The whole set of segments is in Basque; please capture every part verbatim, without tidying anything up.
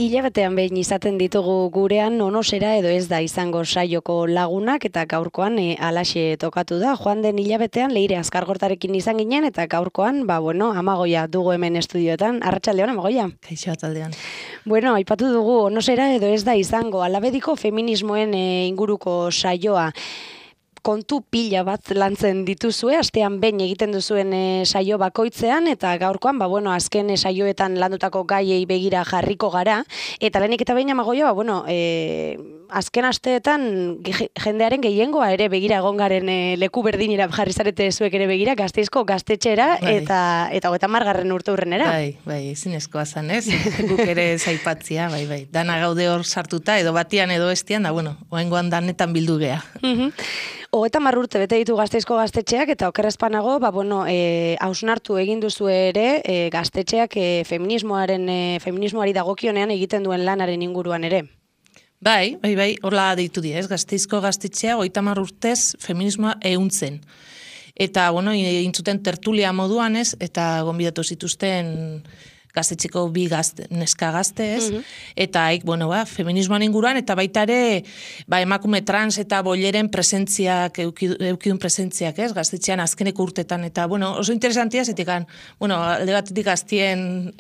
Hilabetean behin izaten ditugu gurean onosera edo ez da izango saioko lagunak eta gaurkoan e, alaxe tokatu da. Joan den hilabetean Leire Azkargortarekin izan ginen eta gaurkoan, ba bueno, Amagoia dugu hemen estudioetan. Arratsaldeon, Amagoia. Kaixo, ataldean. Bueno, aipatu dugu onosera edo ez da izango alabediko feminismoen e, inguruko saioa. Kontu pila bat lantzen dituzue, astean behin egiten duzuen e, saio bakoitzean, eta gaurkoan, ba, bueno, azken e, saioetan landutako gaiei begira jarriko gara, eta lehenik eta behin Amagoia, ba, bueno, e, azken asteetan jendearen gehiengoa ere begira egon garen e, leku berdinera jarri zarete zuek ere begira, Gasteizko gaztetxera, bai. eta eta hogeita hamargarren urte urrenera. Bai, bai, ezinezkoa zan, ez? Guk ere zaipatzia, bai, bai. Dana gaude hor sartuta, edo batian edo bestian, da, bueno, oengoan danetan bildu gea. Mhm. Hogeita hamar urte bete ditu Gasteizko gaztetxeak eta okerrezpanago, ba, bueno, e, hausnartu egin duzu ere e, gaztetxeak e, feminismoaren, e, feminismoari dagokionean egiten duen lanaren inguruan ere. Bai, bai, bai, horla deitu di, ez? Gasteizko gaztetxea hogeita hamar urtez feminismoa ehuntzen. Eta, bueno, intzuten tertulia moduan, ez? Eta gonbidatu zituzten gaztetxeko bi gazte, neska gazte, ez? Mm-hmm. Eta, haik, bueno, ba, feminismoan inguruan, eta baita ere, ba, emakume trans eta bolleren presentziak, eukidun presentziak, ez? Gaztetxean azkeneko urtetan, eta, bueno, oso interesantia, zetikan, bueno, alde batetik gaztien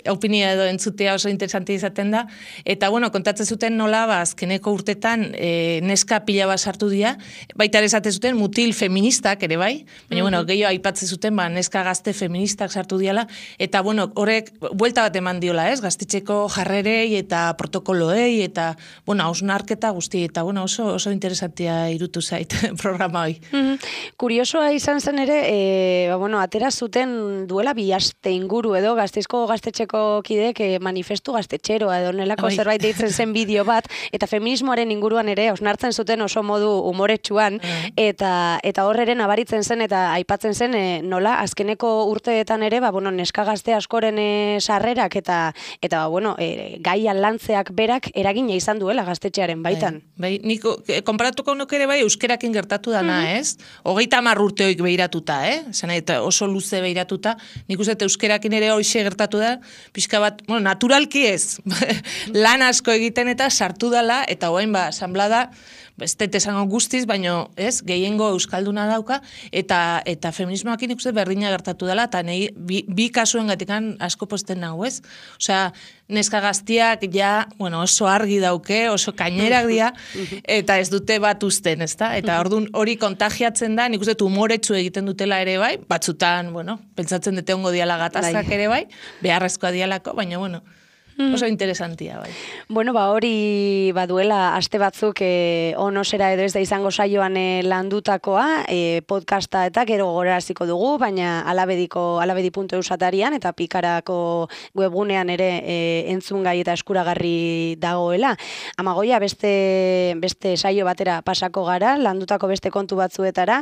opinia edo entzutea oso interesantia izaten da, eta, bueno, kontatzen zuten nola, ba, azkeneko urtetan e, neska pila bat sartu dira, baita ere esaten zuten mutil feministak ere bai, baina, mm-hmm. bueno, gehiago aipatzen zuten, ba, neska gazte feministak sartu diala, eta, bueno, horrek buelta bat eman diola, ez? Gaztetxeko jarrerei eta protokoloei eta, bueno, hausnarketa guzti, eta, bueno, oso, oso interesantia irutu zait programa hoi. Mm-hmm. Kuriosoa izan zen ere, e, ba, bueno, atera zuten duela bi aste inguru edo Gasteizko gaztetxeko kidek e, manifestu gaztetxeroa edo nelako Oi. zerbait deitzen zen bideo bat, eta feminismoaren inguruan ere hausnartzen zuten oso modu umoretsuan, mm. eta, eta horreren abaritzen zen eta aipatzen zen e, nola azkeneko urteetan ere, ba, bueno, neska gazte askore E, sarrerak eta eta bueno, e, gaian lantzeak berak eragina izan duela gaztetxearen baitan. Bai, bai nik konparatuko nuk ere bai euskerakin gertatu dana, mm-hmm. ez? Hogeita hamar urteoik behiratuta, eh? Zena, eta oso luze behiratuta, nik uste euskerakin ere hoxe gertatu da, pixka bat, bueno, naturalki ez, lan asko egiten eta sartu dala, eta hoain ba, asamblada, ez dut esango guztiz, baino, ez, gehiengo euskalduna dauka, eta eta feminismoakin ikuste berdina gertatu dela, eta nahi, bi, bi kasuen gatikan asko posten nago, ez? Osea, neska gaztiak ja, bueno, oso argi dauke, oso kainerak dira, eta ez dute bat usten, ezta? Eta orduan hori kontagiatzen da, nik uste umoretsu egiten dutela ere bai, batzutan, bueno, pentsatzen dute ongo diala gatazkak ere bai, beharrezkoa dialako, baina, bueno, oso interesantia, bai. Bueno, ba, hori baduela aste batzuk e, onosera edo ez da izango saioan e, landutakoa, e, podcasta eta gero gogoraziko dugu, baina alabediko, alabedi puntu eus atarian eta pikarako webgunean ere e, entzungai eta eskuragarri dagoela. Amagoia, beste, beste saio batera pasako gara, landutako beste kontu batzuetara,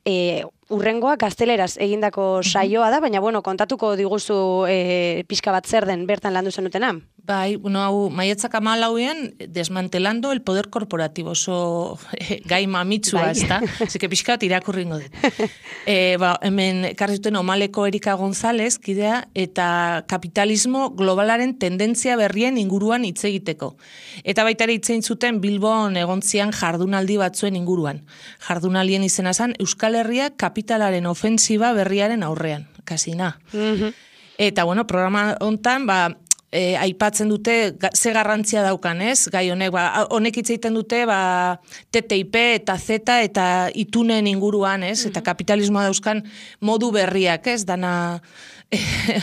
e, urrengoa gazteleraz egindako saioa da, baina bueno, kontatuko diguzu e, pixka bat zer den bertan landu zenutena. Bai, bueno, hau, maiatzak hamalauean desmantelando el poder corporativo, oso eh, gai mamitsua, bai. Ez da? Zeke pixka bat irakurringo dut. E, ba, hemen karrizuten Omaleko Erika González, kidea, eta kapitalismo globalaren tendentzia berrien inguruan hitz egiteko. Eta baita ere hitz egin zuten Bilbon egontzian jardunaldi batzuen inguruan. Jardunaldien izena zen Euskal Herria kapitalaren ofensiba berriaren aurrean, kasina. Mm-hmm. Eta, bueno, programa hontan, ba, E, aipatzen dute ga, ze garrantzia daukan, ez? Gai honek, ba, honek hitz egiten dute, ba, T T I P eta Z eta itunen inguruan, ez? Mm-hmm. Eta kapitalismoa dauzkan modu berriak, ez? Dana,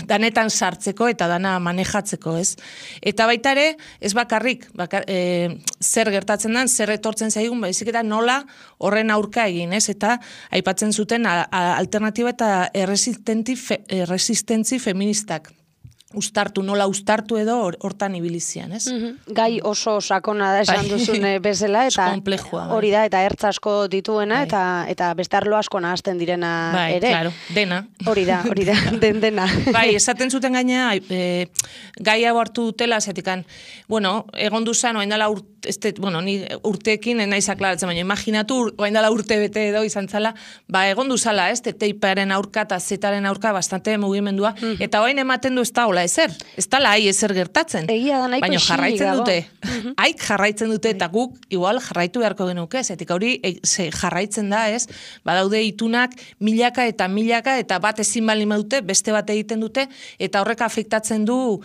danetan sartzeko eta dana manejatzeko, ez? Eta baita ere, ez bakarrik, bakar, e, zer gertatzen den, zer etortzen zaigun, baizik eta nola horren aurka egin, ez? Eta aipatzen zuten a, a, alternatiba eta erresistentzi fe, feministak. ustartu, nola ustartu edo hortan ibilizian, ez? Mm-hmm. Gai oso sakona da esan duzun bezala, eta hori da, eta ertz asko dituena, bai. eta eta beste arlo asko nahazten direna bai, ere. Claro, dena. Hori da, hori da, den dena. Bai, esaten zuten gaina, e, gai hau hartu dutela, zetikan, bueno, egon duzan, oain dala urte, este, bueno, ni urteekin naiz aklaratzen, baina imaginatu, oain dala urte bete edo izan zala, ba, egon duzala, ez, teiparen aurka eta zetaren aurka bastante mugimendua, mm-hmm. eta oain ematen du ez da, hola ezer, ez da lai ezer gertatzen. Egia da, nahiko baina jarraitzen dute, mm-hmm. haik jarraitzen dute, eta guk igual jarraitu beharko genuke, zetik hori e, ze, jarraitzen da, ez, badaude itunak milaka eta milaka, eta bat ezin bali dute, beste bat egiten dute, eta horrek afektatzen du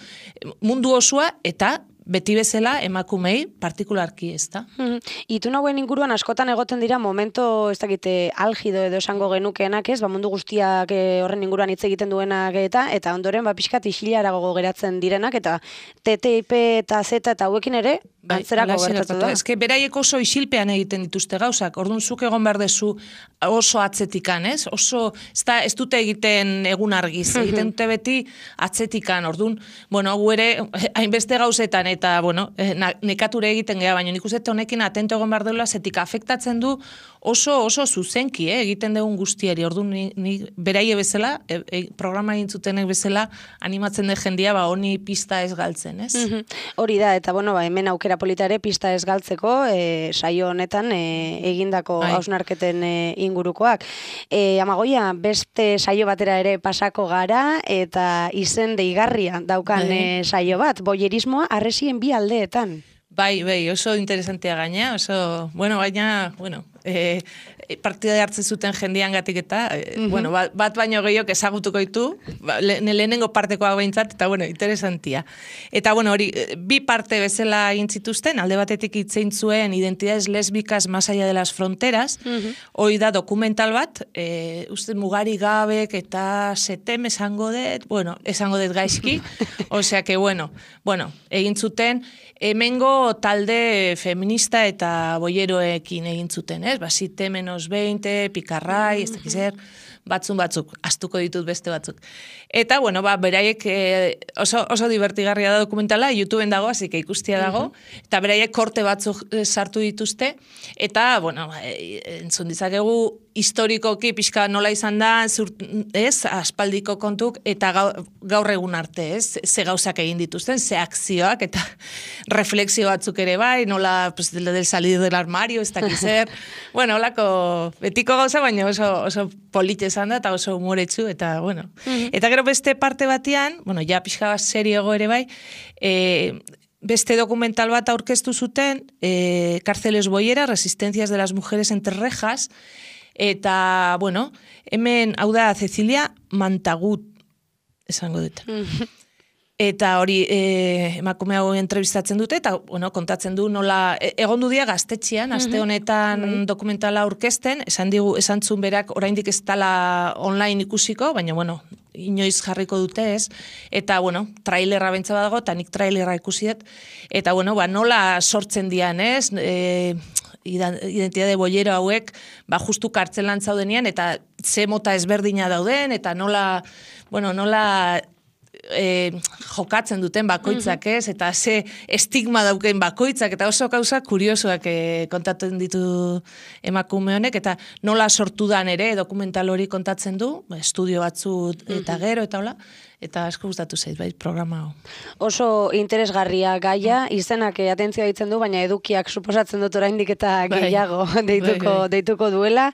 mundu osoa, eta beti bezala emakumei partikularki, ez da? Mm-hmm. Itun hauen inguruan askotan egoten dira momento, ez dakite, algido edo esango genukeenak, ez, ba, mundu guztiak horren inguruan hitz egiten duenak eta, eta ondoren, ba, pixkat isilara geratzen direnak, eta T T I P eta Z eta hauekin ere, bai, antzerako gertatu da. Ez que beraiek oso isilpean egiten dituzte gauzak, orduan zuk egon behar dezu oso atzetikan, ez? Oso, ez, da, ez dute egiten egun argiz, egiten dute beti atzetikan, orduan, bueno, gu ere, hainbeste gauzetan, eta, bueno, nekature egiten geha, baina nik uste honekin atento egon behar deula, zetik afektatzen du oso, oso zuzenki, eh, egiten dugun guztiari, orduan, ni, ni beraie bezala, e, e, programa egintzutenek bezala, animatzen de jendia, ba, honi pista ez galtzen, ez? Mm-hmm. Hori da, eta, bueno, ba, hemen aukera polita ere pista ez galtzeko, e, saio honetan e, egindako hausnarketen e, ingurukoak. E, Amagoia, beste saio batera ere pasako gara, eta izen deigarria daukan e, saio bat, boyerismoa arresien bi aldeetan. Bai, bai, oso interesantea gaina, oso, bueno, baina, bueno, e, partida hartzen zuten jendian gatik eta, e, mm-hmm. bueno, bat, bat baino gehiok ezagutuko ditu, ba, le, lehenengo partekoa behintzat, eta, bueno, interesantia. Eta, bueno, hori, bi parte bezala egin zituzten, alde batetik itzein zuen identidades lesbicas más allá de las fronteras, mm-hmm. hori da dokumental bat, e, uste mugari gabek eta setem esango dut, bueno, esango dut gaizki, osea que, bueno, bueno, egin zuten, hemengo talde feminista eta boieroekin egin zuten, ez? Ba, site menos veinte, pikarrai, ez dakiz zer, batzun batzuk, astuko ditut beste batzuk. Eta, bueno, ba, beraiek eh, oso, oso divertigarria da dokumentala, YouTubeen dago, hasi que ikustia dago, uh-huh. eta beraiek korte batzuk sartu dituzte, eta, bueno, entzun dizakegu, historikoki pixka nola izan da, zur, ez, aspaldiko kontuk, eta gaur, gaur egun arte, ez, ze gauzak egin dituzten, ze akzioak, eta refleksio batzuk ere bai, nola, pues, del, del salir del armario, ez dakiz zer, bueno, holako betiko gauza, baina oso, oso polite izan da, eta oso humoretsu, eta, bueno, uh-huh. eta gero beste parte batean, bueno, ja pixka bat seriogo ere bai, e, beste dokumental bat aurkeztu zuten, e, Cárceles Boyera, Resistencias de las Mujeres entre Rejas, eta, bueno, hemen, hau da, Cecilia Mantagut, esango dut. Eta hori, e, emakume hau entrevistatzen dute, eta, bueno, kontatzen du nola, e, egon du dia gaztetxean, aste honetan mm-hmm. dokumentala aurkezten, esan digu, esan zun berak, oraindik ez dala online ikusiko, baina, bueno, inoiz jarriko dute ez, eta, bueno, trailerra bentsa badago, eta nik trailerra ikusi dut, eta, bueno, ba, nola sortzen dian, ez, e, identitate boiero hauek, ba, justu kartzelan zaudenian, eta ze mota ezberdina dauden, eta nola, bueno, nola e, jokatzen duten bakoitzak ez, eta ze estigma dauken bakoitzak, eta oso gauza kuriosoak e, kontatzen ditu emakume honek, eta nola sortu dan ere, dokumental hori kontatzen du, estudio batzu eta gero, eta hola, eta asko gustatu zait, bai, programa hau. Oso interesgarria gaia, izenak atentzioa ditzen du, baina edukiak suposatzen dut oraindik eta gehiago deituko, bai, bai. deituko duela,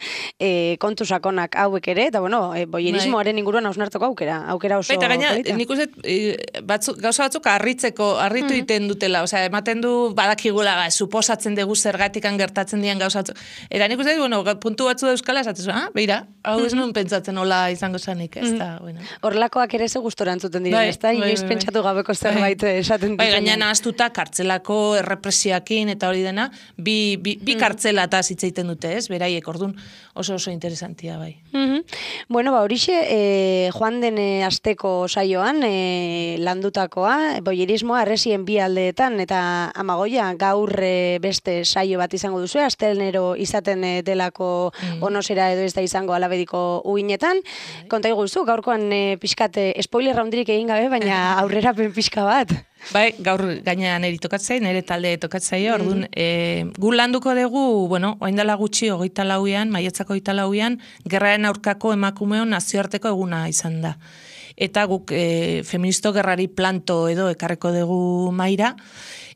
e, kontu sakonak hauek ere, eta bueno, e, boierismoaren inguruan hausnartuko aukera, aukera oso polita. Baita gaina, nik uste, e, batzu, gauza batzuk harritzeko, harritu mm-hmm. iten dutela, osea, ematen du badakigula, ba, suposatzen dugu zergatikan gertatzen dian gauza batzuk. Eta nik uste, bueno, puntu batzu da euskala, esatzen, ah, beira, hau ez nuen pentsatzen hola izango zanik, ez da, bueno. Horlakoak ere zegu entzuten diren, ez da? Inoiz pentsatu gabeko zerbait esaten bai, gaina nahaztuta kartzelako errepresioakin eta hori dena, bi, bi, bi kartzela eta zitzeiten dute, ez? Beraiek, orduan oso oso interesantia, bai. Mm-hmm. Bueno, ba, horixe, e, joan den asteko saioan, e, landutakoa, boierismoa arresien bi aldeetan, eta Amagoia gaur e, beste saio bat izango duzu, astelenero izaten e, delako mm. onosera edo ez da izango alabediko uinetan. Konta iguzu, gaurkoan e, pixkate spoiler spoiler handirik egin gabe, baina aurrerapen pixka bat. Bai, gaur gainean neri tokatzei, nire talde tokatzei, orduan, e, gu landuko dugu, bueno, oain dela gutxi, hogeita lauean, maiatzako hogeita lauean, gerraren aurkako emakumeon nazioarteko eguna izan da. Eta guk e, feministo gerrari planto edo ekarreko dugu maira,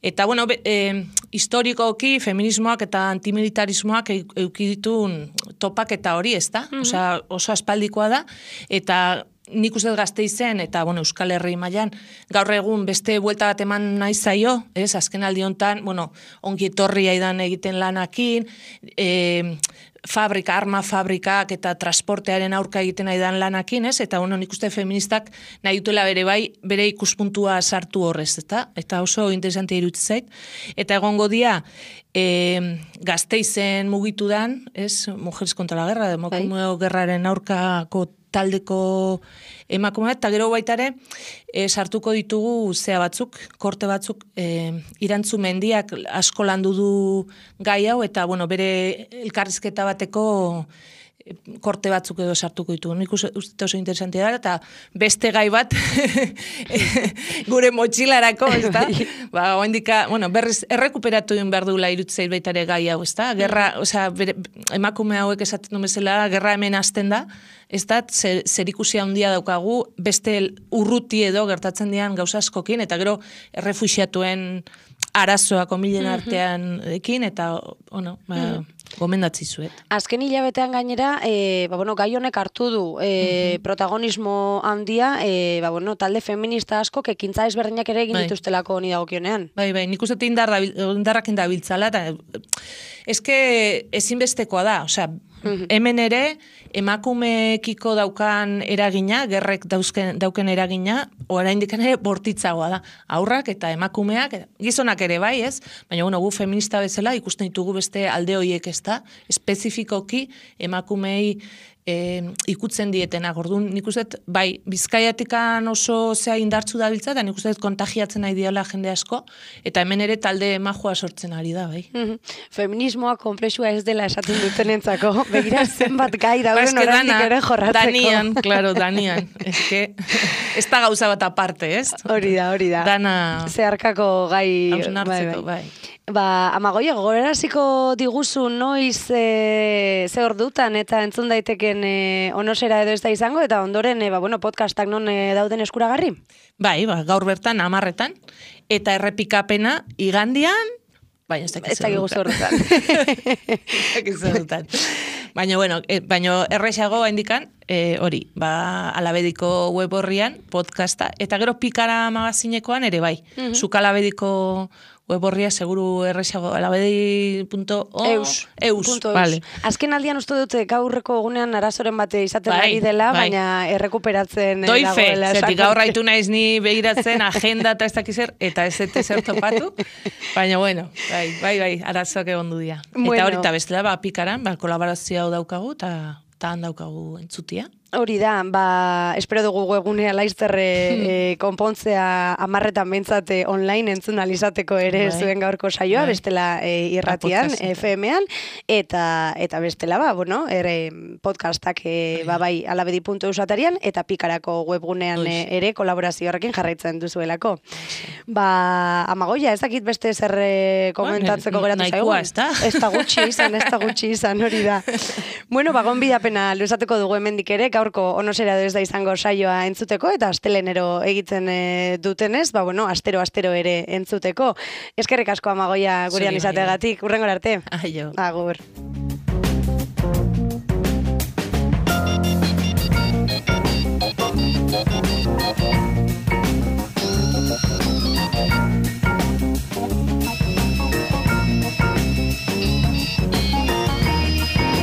eta, bueno, be, e, historikoki feminismoak eta antimilitarismoak eukiditun topak eta hori, ez da? Mm-hmm. Osea, oso aspaldikoa da, eta nik uste Gasteizen eta bueno, Euskal Herri mailan gaur egun beste buelta bat eman nahi zaio, ez? Azken aldi hontan, bueno, ongi etorri aidan egiten lanakin, e, fabrika, arma fabrikak eta transportearen aurka egiten aidan lanakin, ez? Eta bueno, nik uste feministak nahi dutela bere bai, bere ikuspuntua sartu horrez, eta eta oso interesantea iruditzen zait. Eta egongo dia e, Gasteizen mugitu dan, ez? Mujeres contra la guerra, emakumeo gerraren aurkako taldeko emakumea, eta gero baitare e, sartuko ditugu zea batzuk, korte batzuk, e, irantzu mendiak asko landu du gai hau, eta bueno, bere elkarrizketa bateko e, korte batzuk edo sartuko ditugu. Nik uste oso interesantea da, eta beste gai bat gure motxilarako, ez da? Ba, oindika, bueno, berriz errekuperatu egin behar duela irutzeit baitare gai hau, ez da? Gerra, osea, bere, emakume hauek esaten du bezala, gerra hemen hasten da, ez da, zer, zerikusia handia daukagu, beste urruti edo gertatzen dian gauza askokin, eta gero errefuxiatuen arazoak omilen artean ekin, eta, ono, ba, gomendatzi zuet. Azken hilabetean gainera, e, ba, bueno, gai honek hartu du e, protagonismo handia, e, ba, bueno, talde feminista asko, ekintza ezberdinak ere egin bai. dituztelako honi dagokionean. Bai, bai, nik uste indar dabil, indarrak indabiltzala, eta eske ezinbestekoa da, osea, hemen ere, emakumekiko daukan eragina, gerrek dauzken, dauken eragina, oraindik ere bortitzagoa da. Aurrak eta emakumeak, gizonak ere bai, ez? Baina, bueno, gu feminista bezala ikusten ditugu beste alde horiek, ez da? Espezifikoki emakumei e, ikutzen dietenak. Orduan, nik uste, bai, Bizkaiatikan oso zea indartzu dabiltza, eta nik uste kontagiatzen nahi diala jende asko, eta hemen ere talde majua sortzen ari da, bai. Feminismoa komplexua ez dela esaten dutenentzako, begira zenbat gai dauden ba, oraindik ere jorratzeko. Danian, claro, Danian. Ez que, ez da gauza bat aparte, ez? Hori da, hori da. Dana... Zeharkako gai... Hausnartzeko, bai. Ba, Amagoia, gogoraraziko diguzu noiz e, ze ordutan eta entzun daiteken e, onosera edo ez da izango, eta ondoren e, ba, bueno, podcastak non e, dauden eskuragarri? Bai, ba, gaur bertan, amarretan, eta errepikapena igandian, baina ez dakizu ordutan. Ez dakizu ordutan. Baina, bueno, e, baina errexago indikan, e, hori, ba, Alabediko web horrian, podcasta, eta gero Pikara magazinekoan ere bai. Uh-huh. Zuk Alabediko web horria seguru errexago, alabedi punto eus. Eus, vale. Azken aldian uste dut gaurreko egunean arazoren bate izaten bai, ari dela, bai. baina errekuperatzen Doi fe, dagoela. zetik gaur haitu naiz ni begiratzen agenda eta ez dakizer, eta ez ez zer topatu, baina bueno, bai, bai, bai, arazoak egon du dia. Bueno. Eta hori eta bestela, ba, Pikaran, ba, kolaborazio hau daukagu, eta han daukagu entzutia. Hori da, ba, espero dugu webgunea laizterre e, konpontzea amarretan bentsate online entzun alizateko ere bai. Zuen gaurko saioa, bai. Bestela e, irratian, F M-an, eta, eta bestela, ba, bueno, ere podcastak e, ba, bai, alabedi puntu eus atarian, eta Pikarako webgunean e, ere kolaborazio horrekin jarraitzen duzuelako. Ba, Amagoia, ez dakit beste zer komentatzeko bueno, geratu zaigu. Nahikoa, ez da? Ez da gutxi izan, ez da gutxi izan, hori da. Bueno, ba, gonbidapena luzatuko dugu hemendik ere, gaurko onosera edo ez da izango saioa entzuteko, eta astelenero egiten e, dutenez, ba, bueno, astero, astero ere entzuteko. Eskerrik asko Amagoia gurean izateagatik, urrengora arte. Aio. Agur.